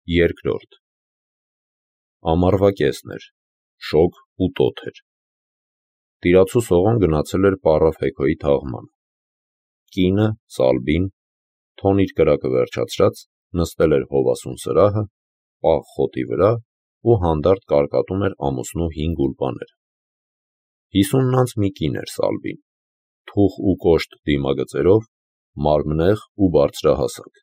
Երկրորդ Ամառվա կեսն էր, շոգ ու տոթ էր։ Տիրացու Սողոն գնացել էր Պառավ Հեքոյի թաղմանը։ Կինը, Սալբին, թոն իր կրակը վերջացրած, նստել էր հովասուն սրահը, պաղ խոտի վրա ու հանդարտ կարկատում էր ամուսնու հին գուլպաները։ 50 անց մի կին էր Սալբին, թուխ ու կոշտ դիմագծերով, մարմնեղ ու բարձրահասակ։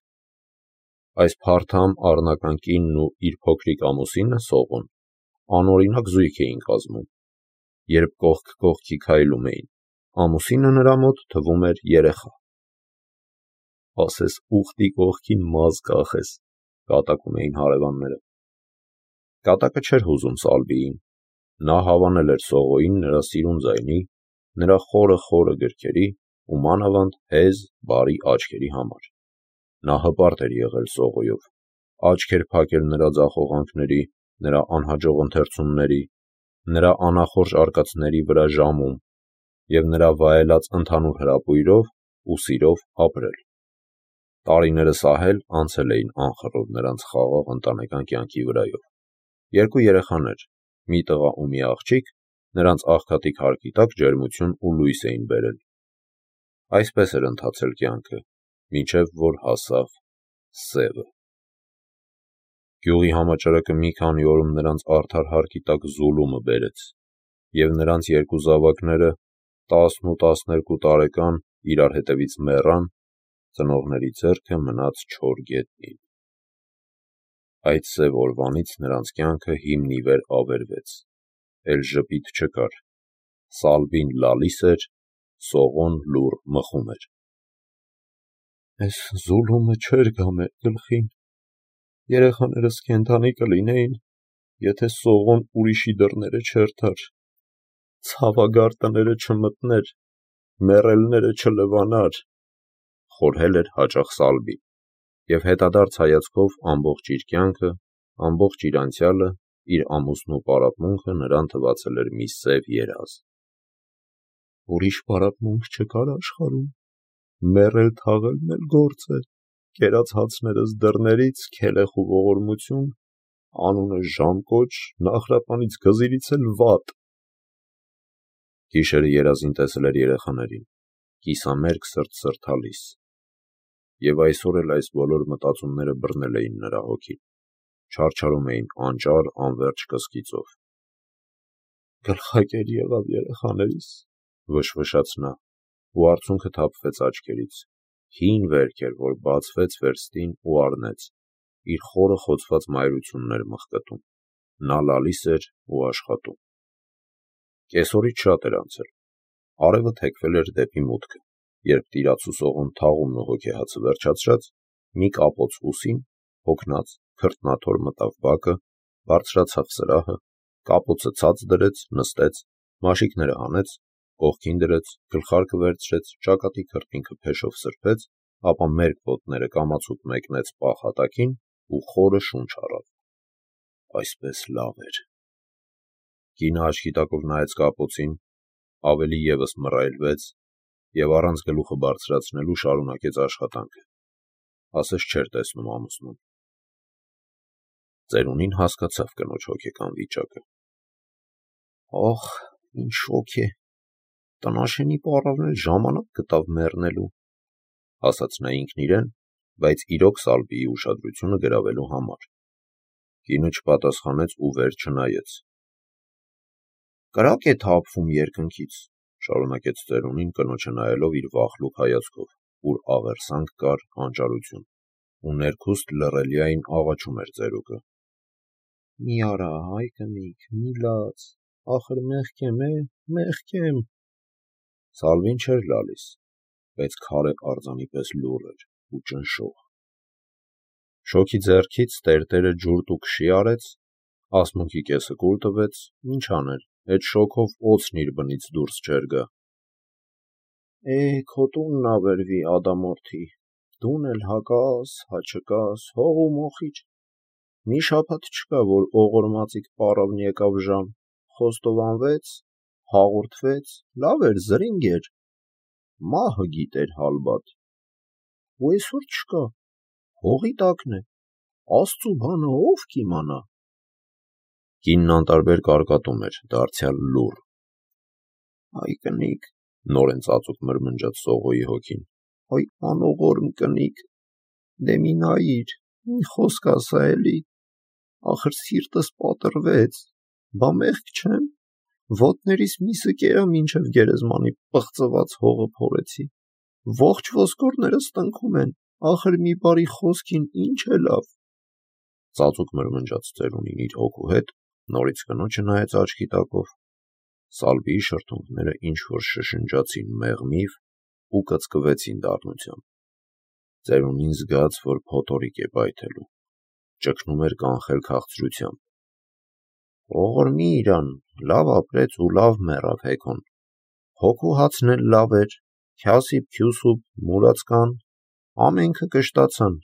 Այս փարթամ առնական կինն ու իր փոքրիկ ամուսինը Սողոն անօրինակ զույգ էին կազմում։ Երբ կողք կողքի քայլում էին, ամուսինը նրա մոտ թվում էր երեխա։ «Ասես ուխտի կողքին մազ կախես», կատակում էին հարևանները։ Կատակը չէր հուզում Սալբիին։ Նա հավանել էր Սողոյին նրա սիրուն ձայնի, նրա խորը գրքերի ու մանավանդ հեզ, բարի աչքերի համար։ Նա հպարտ էր եղել Սողոյով, աչք էր փակել նրա ձախողանքների, նրա անհաջող ընթերցումների, նրա անախորժ արկածների վրա ժամում և նրա վայելած ընդհանուր հրապույրով ու սիրով ապրել։ Տարիները սահել անցել էին անխռով նրանց խաղաղ ընտանեկան կյանքի վրայով։ 2 երեխաներ, մի տղա ու մի աղջիկ, նրանց աղքատիկ հարկի տակ ջերմություն ու լույս էին բերել։ Այսպես էր ընթացել կյանքը, մինչև որ հասավ սևը։ Գյուղի համաճարակը մի քանի օրում նրանց արդար հարկի տակ զուլումը բերեց, և նրանց 2 զավակները, 10 ու 12 տարեկան, իրար հետևից մեռան, ծնողների ձեռքը մնաց չոր գետնին։ Այդ սև օրվանից նրանց կյանքը հիմն ի վեր ավերվեց, էլ ժպիտ չկար, Սալբին լալիս էր, Սողոն լուռ մխում էր։ «Էս զուլումը չէր գա մեր գլխին, երեխաներս կենդանի կլինեին, եթե Սողոն ուրիշի դռները չերթար, ցավագար տները չմտներ, մեռելները չլվանար», խորհել էր հաճախ Սալբին, և հետադարձ հայացքով ամբողջ իր կյանքը, ամբողջ իր անցյալը, իր ամուսնու պարապմունքը նրան թվացել էր մի սև երազ։ «Ուրիշ պարապմունք չկար աշխարհում, մեռել թաղելն էլ գործ է, կերած հացներս դռներից, քելեխ ու ողորմություն, անունս Ժամկոչ, Նահրապանից Գզիրից էլ վատ»։ Գիշերը երազին տեսել էր երեխաներին, կիսամերկ սրտալիս, և այսօր էլ այս բոլոր մտածումները բռնել էին նրա հոգին, չարչարում էին անճար անվերջ կսկիծով։ «Գլխակեր եղավ երեխաներիս», վշվշաց նա, ու արցունքը թափվեց աչքերից, հին վերք էր, որ բացվեց վերստին ու առնեց, իր խորը խոցված մայրությունն էր մղկտում, նա լալիս էր ու աշխատում։ Կեսօրից շատ էր անցել, արևը թեքվել էր դեպի մուտքը, երբ տիրացու Սողոն թաղումն ու հոգեհացը վերջացրած, մի կապոց ուսին, հոգնած, քրտնաթոր մտավ բակը, բարձրացավ սրահը, կապոցը ցած դրեց, նստեց, մաշիկները հանեց, կողքին դրեց, գլխարկը վերցրեց, ճակատի քրտինքը փեշով սրբեց, ապա մերկ ոտները կամացուկ մեկնեց պաղ հատակին ու խորը շունչ առավ։ Այսպես լավ էր։ Կինը աչքի տակով նայեց կապոցին, ավելի ևս մռայլվեց և առանց գլուխը բարձրացնելու շարունակեց աշխատանքը, ասես չէր տեսնում ամուսնուն։ Ծերունին հասկացավ կնոջ հոգեկան վիճակը։ «Ախ, ինչ շոգ է, տնաշենի պառավն էլ ժամանակ գտավ մեռնելու», ասաց նա ինքն իրեն, բայց իրոք Սալբիի ուշադրությունը գրավելու համար։ Կինը չպատասխանեց ու վեր չնայեց։ «Կրակ է թափվում երկնքից», շարունակեց ծերունին կնոջը նայելով իր վախլուկ հայացքով, ուր աղերսանք կար, անճարություն, ու ներքուստ լռելիային աղաչում էր ծերուկը։ «Մի արա, հայ կնիկ, մի լաց, ախր մեղք եմ, մեղք եմ»։ Սալբին չէր լալիս, բայց քարե արձանի պես լուռ էր ու ճնշող։ Շոգի ձեռքից տերտերը ջուրտ ու քշի արեց, ասմունքի կեսը կուլ տվեց, ինչ աներ, էդ շոգով օձն իր բնից դուրս չէր գա։ «Քո տունն ավերվի, Ադամորդի, դուն էլ հակաս, հա չկաս, հող ու մոխիր։ Մի շաբաթ չկա, որ օղորմածիկ պառավն եկավ ժամ, խոստովանվեց, հաղորդվեց, լավ էր, զրինգ էր, մահը գիտեր հալբատ։ Ու այսօր չկա, հողի տակն է, Աստծու բանը ով կիմանա։ Կինն անտարբեր կարկատում էր, դարձյալ լուռ։ Այ կնիկ, նորեն ծածուկ մրմնջաց Սողոյի հոգին։ Այ անողորմ կնիկ, դե մի նայիր, մի խոսք ասա էլի, ախր սիրտս պատրվեց, բա մեղք չեմ, ոտներիս միսը կերա մինչև գերեզմանի պղծված հողը փորեցի, ողջ ոսկորներս տնքում են, ախր մի բարի խոսքին ինչ է լավ։ Ծածուկ մրմնջաց ծերունին իր հոգու հետ, նորից կնոջը նայեց աչքի տակով, Սալվիի շրթունքները ինչ-որ շշնջացին մեղմիվ ու կծկվեցին դառնությամբ։ Ծերունին զգաց, որ փոթորիկ է պայթելու, ճգնում էր կանխել քաղցրությամբ։ Ողորմի իրան, լավ ապրեց ու լավ մեռավ հեքոն, հոգու հացն էլ լավ էր, քյասիպ, քյուսուպ, մուրացկան, ամենքը կշտացան։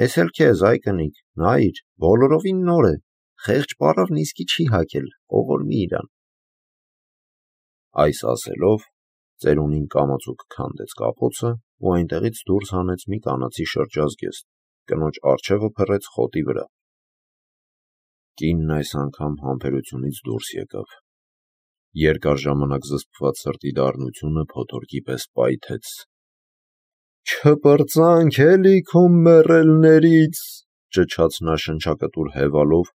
Էս էլ քեզ, այ կնիկ, նայիր, բոլորովին նոր է, խեղճ պարավն իսկի չի հակել, ողորմի իրան։ Այս ասելով, ծերունին կամացուկ քանդեց կապոցը ու այնտեղից դուրս հանեց մի կանացի շրջազգեստ, կնոջ առջևը փռեց խոտի վրա։ Կինն այս անգամ համբերությունից դուրս եկավ։ Երկար ժամանակ զսպված սրտի դառնությունը փոթորկի պես պայթեց։ Չպրծանք էլի քո մեռելներից, ճչաց նա շնչակտուր հևալով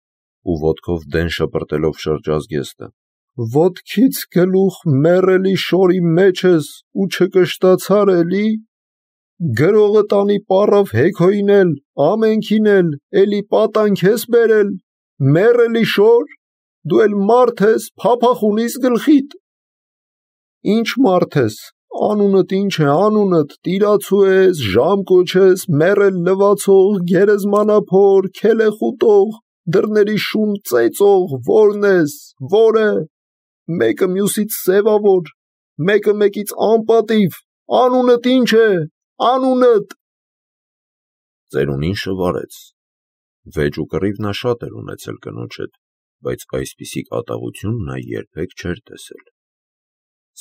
ու ոտքով դեն շպրտելով շրջազգեստը։ Ոտքից գլուխ մեռելի շորի մեջ ես ու չկշտացար էլի։ Գրողը տանի պարավ հեքոին էլ, ամենքին էլ, էլի պատանք ես բերել, մեռելի շոր, դու էլ մարդ ես, փափախ ունիս գլխիդ։ Ինչ մարդ ես, անունդ ինչ է, անունդ, տիրացու ես, ժամ կոչես, մեռել լվացող, գերեզմանափոր, քելեխուտող, դռների շուն ծեծող, որն ես, որը, մեկը մյուսից սևավոր, մեկը մեկից անպատիվ, անունդ ինչ է, անունդ։ Ծերունին շվարեց։ Վեճ ու կռիվ նա շատ էր ունեցել կնոջ հետ, բայց այսպիսի կատաղություն նա երբեք չէր տեսել։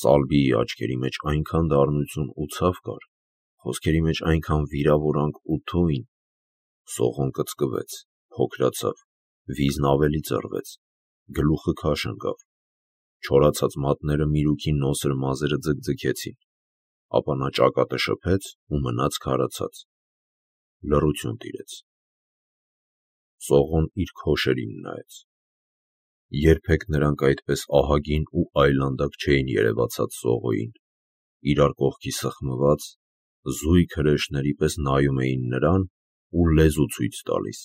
Սալվիի աչքերի մեջ այնքան դառնություն ու ցավ կար, խոսքերի մեջ այնքան վիրավորանք ու թույն։ Սողոն կծկվեց, փոքրացավ, վիզն ավելի ծռվեց, գլուխը քաշ ընկավ, չորացած մատները միրուքի նոսր մազերը ձգձգեցին, ապա նա ճակատը շփեց ու մնաց քարացած։ Լռություն տիրեց։ Սողոն իր քոշերին նայեց։ Երբեք նրանք այդպես ահագին ու այլանդակ չէին երևացած Սողոյին, իրար կողքի սխմված, զույգ հրեշների պես նայում էին նրան ու լեզու ցույց տալիս։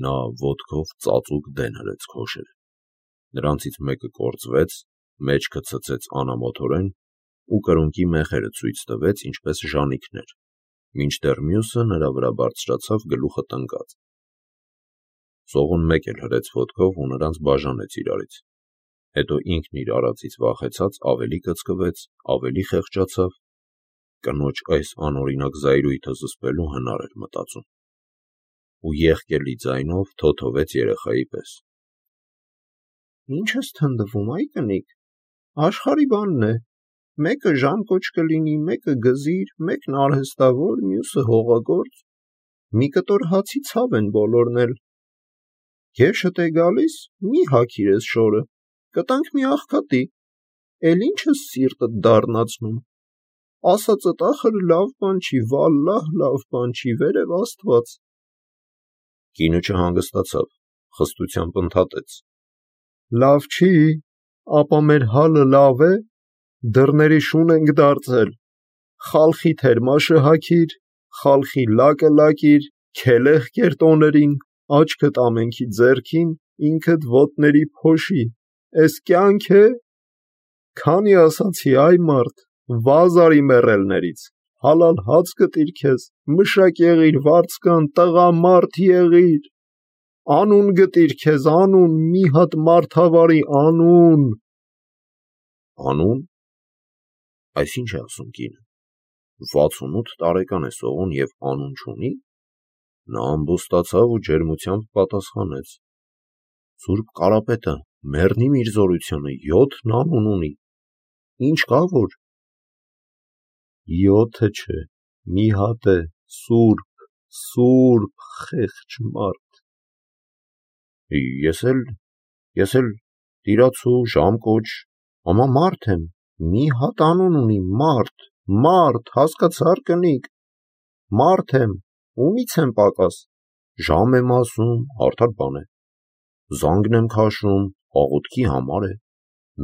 Նա ոտքով ծածուկ դեն հրեց քոշերը։ Նրանցից մեկը կործվեց, մեջքը ցցեց անամոթորեն ու կրունկի մեխերը ցույց տվեց, ինչպես ժանիքներ, մինչդեռ մյուսը նրա վրա բարձրացավ գլուխը տնկած։ Սողոն մեկ էլ հրեց ոտքով ու նրանց բաժանեց իրարից։ Հետո ինքն իր արածից վախեցած ավելի կծկվեց, ավելի խեղճացավ։ Կնոջ այս անօրինակ զայրույթը զսպելու հնար էր մտածում։ Ու եղկելի ձայնով թոթովեց երեխայի պես. Ինչ ես թնդվում, այ կնիկ, աշխարհի բանն է, մեկը ժամ կոչ կլինի, մեկը գզիր, մեկն արհեստավոր, մյուսը հողագործ, մի կտոր հացի ցավ են բոլորն էլ։ Եշդ է գալիս, մի հագիր ես շորը, կտանք մի աղքատի, էլ ինչ ես սիրտդ դառնացնում, ասածդ ախր լավ բան չի, վալլահ լավ բան չի, վերև Աստված։ Կինը չհանգստացավ, խստությամբ ընդհատեց. Լավ չի, ապա մեր հալը լավ է, դռների շուն ենք դարձել, խալխի թերմաշը հագիր, խալխի լակը լակիր, քելեղ կեր տոներին, աչքդ ամենքի ձեռքին, ինքդ ոտների փոշի, էս կյանք է։ Քանի ասացի, այ մարդ, վազ արի մեռելներից, հալալ հաց կտիր քեզ, մշակ եղիր, վարձկան, տղա մարդ եղիր, անուն գտիր քեզ, անուն, մի հատ մարդավարի անուն։ Անուն։ Այսինչ է ասում կինը։ 68 տարեկան է Սողոն և անուն չունի։ Նա ամբոստացավ ու ջերմությամբ պատասխանեց. Սուրբ Կարապետը, մեռնիմ իր զորությանը, 7 անուն ունի։ Ինչ կա որ։ 7 չէ, մի հատ է, Սուրբ, Սուրբ խեղճ մարդ։ Ես էլ տիրացու ժամկոչ, ամա մարդ եմ, մի հատ անուն ունի, մարդ, հասկացար կնիկ, մարդ եմ, ումից եմ պակաս, ժամ եմ ասում, արդար բան է, զանգն եմ քաշում, աղոթքի համար է,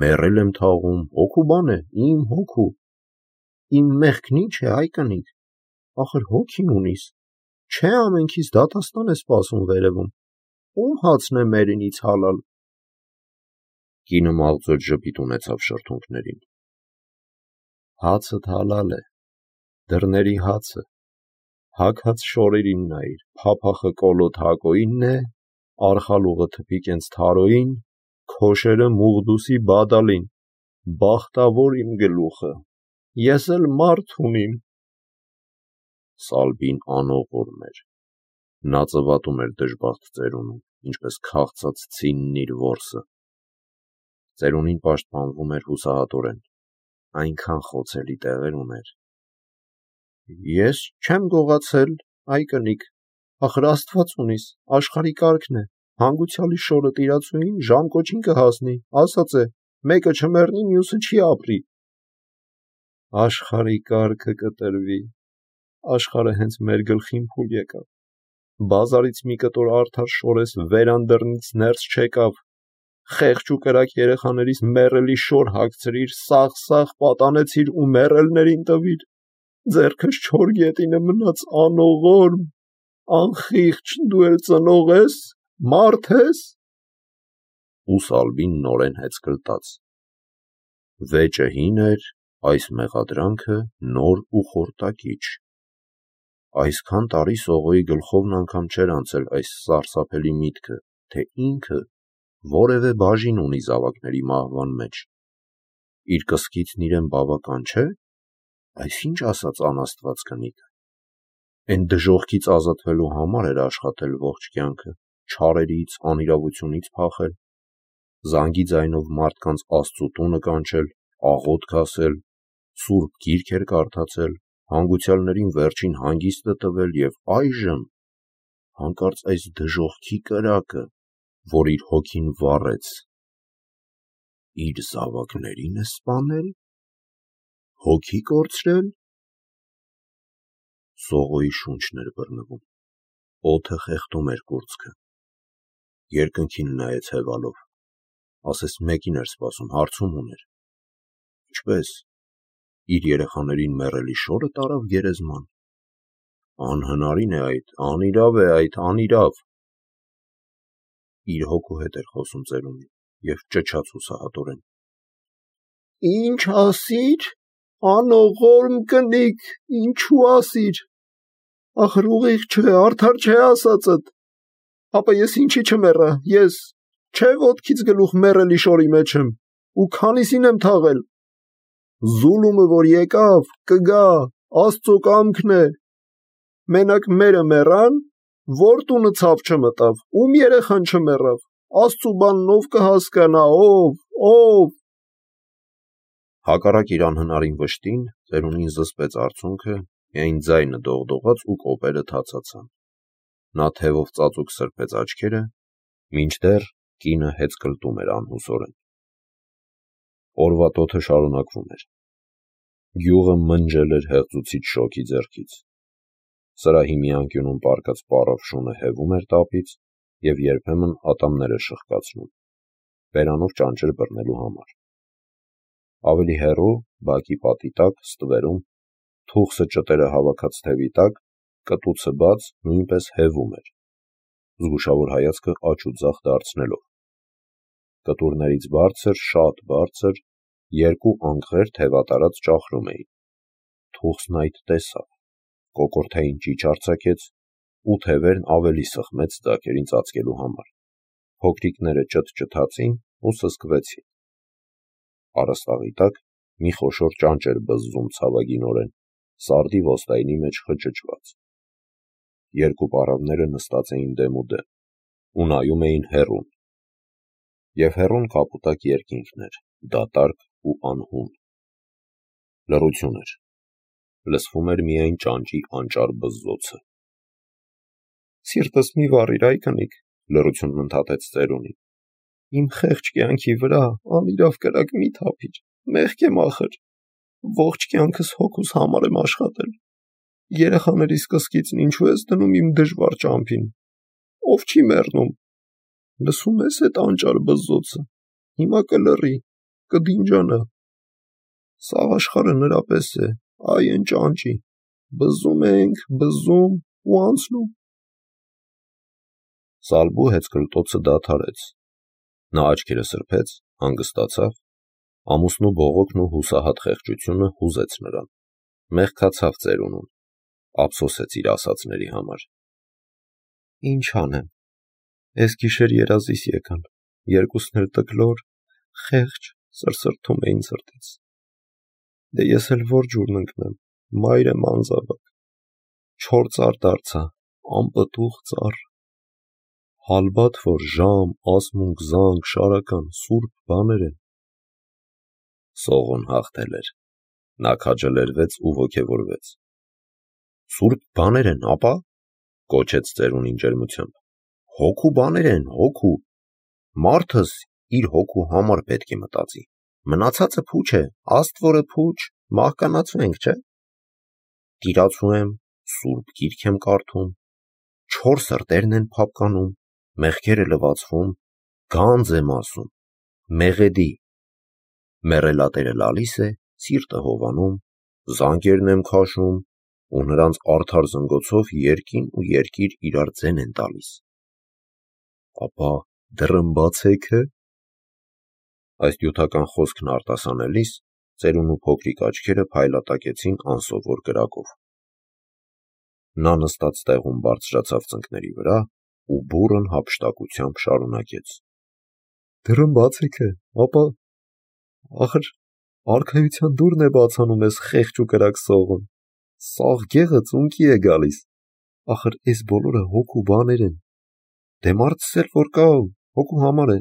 մեռել եմ թաղում, հոգու բան է, իմ հոգու, իմ մեղքն ինչ է, այ կնիկ, ախր հոգին ունիս, չէ ամենքից դատաստան է սպասում վերևում, ում հացն է մերինից հալալ։ Կինը մաղձոտ ժպիտ ունեցավ շրթունքներին։ Հացդ հալալ է, դռների հացը, հագած շորերին նայիր, փափախը կոլոտ հակոինն է, արխալուղը թփիկենց թարոին, քոշերը մուղդուսի բադալին, բախտավոր իմ գլուխը, ես էլ մարդ ունիմ։ Սալբին անողորմ էր, նա ծվատում էր դժբախտ ծերունուն, ինչպես քաղցած ցինն իր որսը։ Ծերունին պաշտպանվում էր հուսահատորեն, այնքան խոցելի տեղեր ուներ։ Ես չեմ գողացել, այ կնիկ, ախր Աստված ունիս, աշխարհի կարգն է, հանգուցյալի շորը տիրացուին ժամկոչին կհասնի, ասած է, մեկը չմեռնի, մյուսը չի ապրի։ Աշխարհի կարգը կտրվի, աշխարհը հենց մեր գլխին փուլ եկավ, բազարից մի կտոր արդար շորես վերանդռնից ներս չեկավ, խեղճ ու կրակ երեխաներիս մեռելի շոր հագցրիր, սաղ պատանեցիր ու մեռելներին տվիր, ձեռքս չոր գետինը մնաց անողորմ, անխիղճ դու էլ ծնող ես, մարդ ես։ Ու Սալբին նորեն հեծկլտաց։ Վեճը հին էր, այս մեղադրանքը նոր ու խորտակիչ։ Այսքան տարի Սողոյի գլխովն անգամ չէր անցել այս սարսափելի միտքը, թե ինքը որևէ բաժին ունի զավակների մահվան մեջ։ Իր կսկիցն իրեն բավական չէ, այսինչ ասած անաստված կնիկը։ Էն դժոխքից ազատվելու համար էր աշխատել ողջ կյանքը, չարերից, անիրավությունից փախել, զանգի ձայնով մարդկանց Աստծու տունը կանչել, աղոթք ասել, սուրբ գիրք էր կարդացել, հանգուցյալներին վերջին հանգիստը տվել և այժմ հանկարծ այս դժոխքի կրակը, որ իր հոգին վառեց, իր զավակներին է սպանել, հոգի կորցրել։ Սողոյի շունչն էր բռնվում, օդը խեղդում էր կուրծքը, երկնքին նայեց հևալով, ասես մեկին էր սպասում, հարցում ուներ. ինչպես, իր երեխաներին մեռելի շորը տարավ գերեզման, անհնարին է այդ, անիրավ է այդ, անիրավ։ Իր հոգու հետ էր խոսում ծերունին և ճչաց հուսահատորեն. Ինչ ասիր, անողորմ կնիկ, ինչու ասիր, ախր ուղիղ չէ, արդար չէ ասածդ, ապա ես ինչի չմեռա, ես, չէ ոտքից գլուխ մեռելի շորի մեջ եմ, ու քանիսին եմ թաղել, զուլումը որ եկավ, կգա, Աստծո կամքն է, մենակ մերը մեռան, որ տունը ցավ չմտավ, ում երեխան չմեռավ, Աստծու բանն ով կհասկանա, ով։ Հակառակ իր անհնարին վշտին, ծերունին զսպեց արցունքը, միայն ձայնը դողդողաց ու կոպերը թացացան։ Նա թևով ծածուկ սրբեց աչքերը, մինչդեռ կինը հեծկլտում էր անհուսորեն։ Օրվա տոթը շարունակվում էր։ Գյուղը մնջել էր հեղձուցիչ շոգի ձեռքից։ Սրահի մի անկյունում պառկած պառավ շունը հևում էր տապից և երբեմն ատամներ էր շխկացնում, բերանով ճանճեր բռնելու համար։ Ավելի հեռու, բակի պատի տակ, ստվերում, թուխսը ճտերը հավաքած թևի տակ, կտուցը բաց, նույնպես հևում էր, զգուշավոր հայացքը աջ ու ձախ դարձնելով։ Կտուրներից բարձր, շատ բարձր, երկու անկղեր թևատարած ճախրում էին։ Թուխսն այդ տեսավ, կոկորդային ճիչ արձակեց ու թևերն ավելի սխմեց ձագերին ծածկելու համար։ Փոքրիկները ճթճթացին ու սսկվեցին։ Առաստաղի տակ մի խոշոր ճանճ էր բզզում ցավագինորեն, սարդի ոստայնի մեջ խճճված։ Երկու պառավները նստած էին դեմուդեմ ու նայում էին հեռուն։ Եվ հեռուն կապուտակ երկինքն էր, դատարկ ու անհուն։ Լռություն էր, լսվում էր միայն ճանճի անճար բզզոցը։ Սիրտս մի վառիր, այ կնիկ, լռությունն ընդհատեց ծերունին։ Իմ խեղճ կյանքի վրա անիրավ կրակ մի թափիր, մեղք եմ ախր, ողջ կյանքս հոգուս համար եմ աշխատել, երեխաներիս կսկիցն ինչու ես դնում իմ դժվար ճամփին, ով չի մեռնում, լսում ես էդ անճար բզզոցը, հիմա կլռի, կդինջանա, սաղ աշխարհը նրա պես է, այ են ճանճի, բզզում ենք, բզզում ու անցնում։ Սալբու հեծկլտոցը դադարեց, նա աչքերը սրբեց, հանգստացավ, ամուսնու բողոքն ու հուսահատ խեղճությունը հուզեց նրան, մեղքացավ ծերունուն, ափսոսեց իր ասածների համար։ Ինչ անեմ, ես գիշեր երազիս եկան, երկուսն էլ տկլոր, խեղճ, սրսրթում էին սրտից։ Դե ես էլ որ ջուրն ընկնեմ, մայր եմ անզավակ, չոր ծառ դարձա, անպտուղ ծառ, հալբաթ որ ժամ, ասմունք, զանգ, շարական, սուրբ բաներ են։ Սողոն հաղթել էր, նա քաջալերվեց ու ոգևորվեց։ Սուրբ բաներ են, ապա, կոչեց ծերունին ջերմությամբ, հոգու բաներ են, հոգու, մարդս իր հոգու համար պետք է մտածի, մնացածը փուչ է, աստվորը փուչ, մահկանացվենք, չէ։ Տիրացու եմ, սուրբ գիրք եմ կարդում, չոր սրտերն են փափկանում, մեղքերը լվացվում, գանձ եմ ասում, մեղեդի, մեռելատերը լալիս է, սիրտը հովանում, զանգերն եմ քաշում, ու նրանց արդար զնգոցով երկին ու երկիր իրար ձեն են տալիս։ Ապա դռմբացեքը։ Այս նյութական խոսքն արտասանելիս ծերունու փոքրիկ աչքերը փայլատակեցին անսովոր կրակով։ Նա նստած տեղում բարձրացավ ծնկների վրա ու բուռն հափշտակությամբ շարունակեց. Դռմբացեքը, ապա ախր արքայության դուռն է բացանում ես խեղճ ու կրակ սողուն, սաղ գեղը ծունկի է գալիս, ախր այս բոլորը հոգու բաներ են, դե մարդս էլ որ կա, հոգու համար է,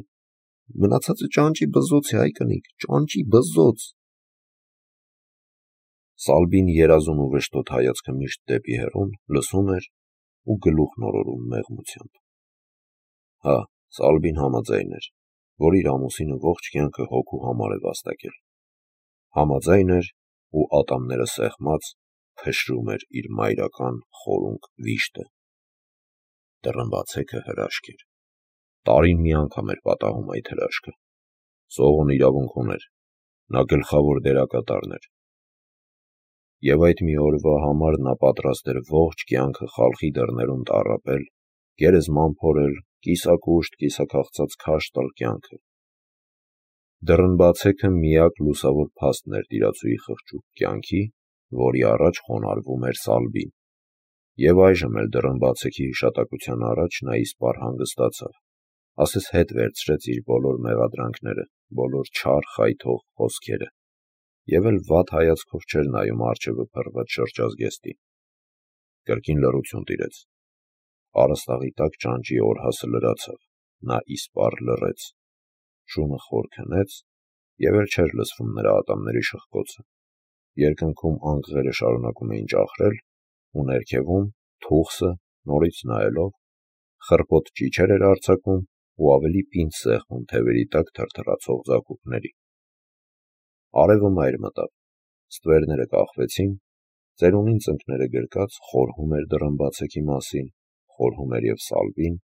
մնացածը ճանճի բզզոց է, այ կնիկ, ճանճի բզզոց։ Սալբին երազուն ու վշտոտ հայացքը միշտ դեպի հեռուն լսում էր ու գլուխն օրորում մեղմությամբ։ Հա, Սալբին համաձայն էր, որ իր ամուսինը ողջ կյանքը հոգու համար է վաստակել։ Համաձայն էր ու ատամները սեղմած փշրում էր իր մայրական խորունկ վիշտը։ Դռմբացեքը հրաշք էր։ Տարին մի անգամ էր պատահում այդ հրաշքը։ Սողոն իրավունք ուներ, նա գլխավոր դերակատարն էր։ Եվ այդ մի օրվա համար նա պատրաստ էր ողջ կյանքը խալխի դռներում տառապել, գերեզման փորել, կիսակուշտ, կիսաքաղցած քաշ տալ կյանքը։ Դռնբացեքը միակ լուսավոր փաստն էր տիրացուի խղճուկ կյանքի, որի առաջ խոնարհվում էր Սալբին։ Եվ այժմ էլ դռնբացեքի հիշատակության առաջ նա իսպառ հանգստացավ, ասես հետ վերցրեց իր բոլոր մեղադրանքները, բոլոր չար խայթող խոսքերը, և էլ վատ հայացքով չէր նայում առջևը փռված շրջազգեստին։ Կրկին լռություն տիրեց։ Առաստաղի տակ ճանճի օրհասը լրացավ, նա իսպառ լռեց, շունը խոր քնեց, և էլ չէր լսվում նրա ատամների շխկոցը։ Երկնքում անկղերը շարունակում էին ճախրել, ու ներքևում թուխսը, նորից նայելով, խռպոտ ճիչեր էր արձակում ու ավելի պինդ սեղմում թևերի տակ թրթռացող ձագուկների։ Արևը մայր մտավ, ստվերները կախվեցին, ծերունին ծնկները գրկած խորհում էր դռնբացեքի մասին, խորհում էր և Սալբին,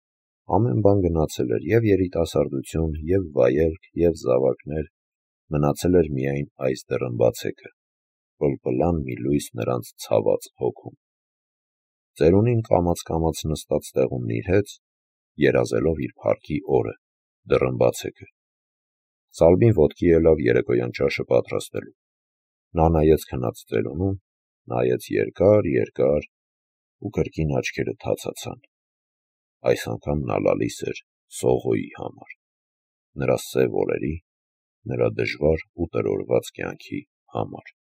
ամեն բան գնացել էր, և երիտասարդություն, և վայելք, և զավակներ, մնացել էր միայն այս դռնբացեքը, պլպլան մի լույս նրանց ցաված հոգում։ Ծերունին կամաց նստած տեղում նիրհեց, երազելով իր փառքի օրը, դռնբացեքը։ Սալբին ոտքի ելավ երեկոյան ճաշը պատրաստելու։ Նա նայեց քնած ծերունուն, նայեց երկար ու կրկին աչքերը թացացան։ Այս անգամ նա լալիս էր Սողոյի համար, նրա սև օրերի, նրա դժվար ու տրորված կյանքի համար։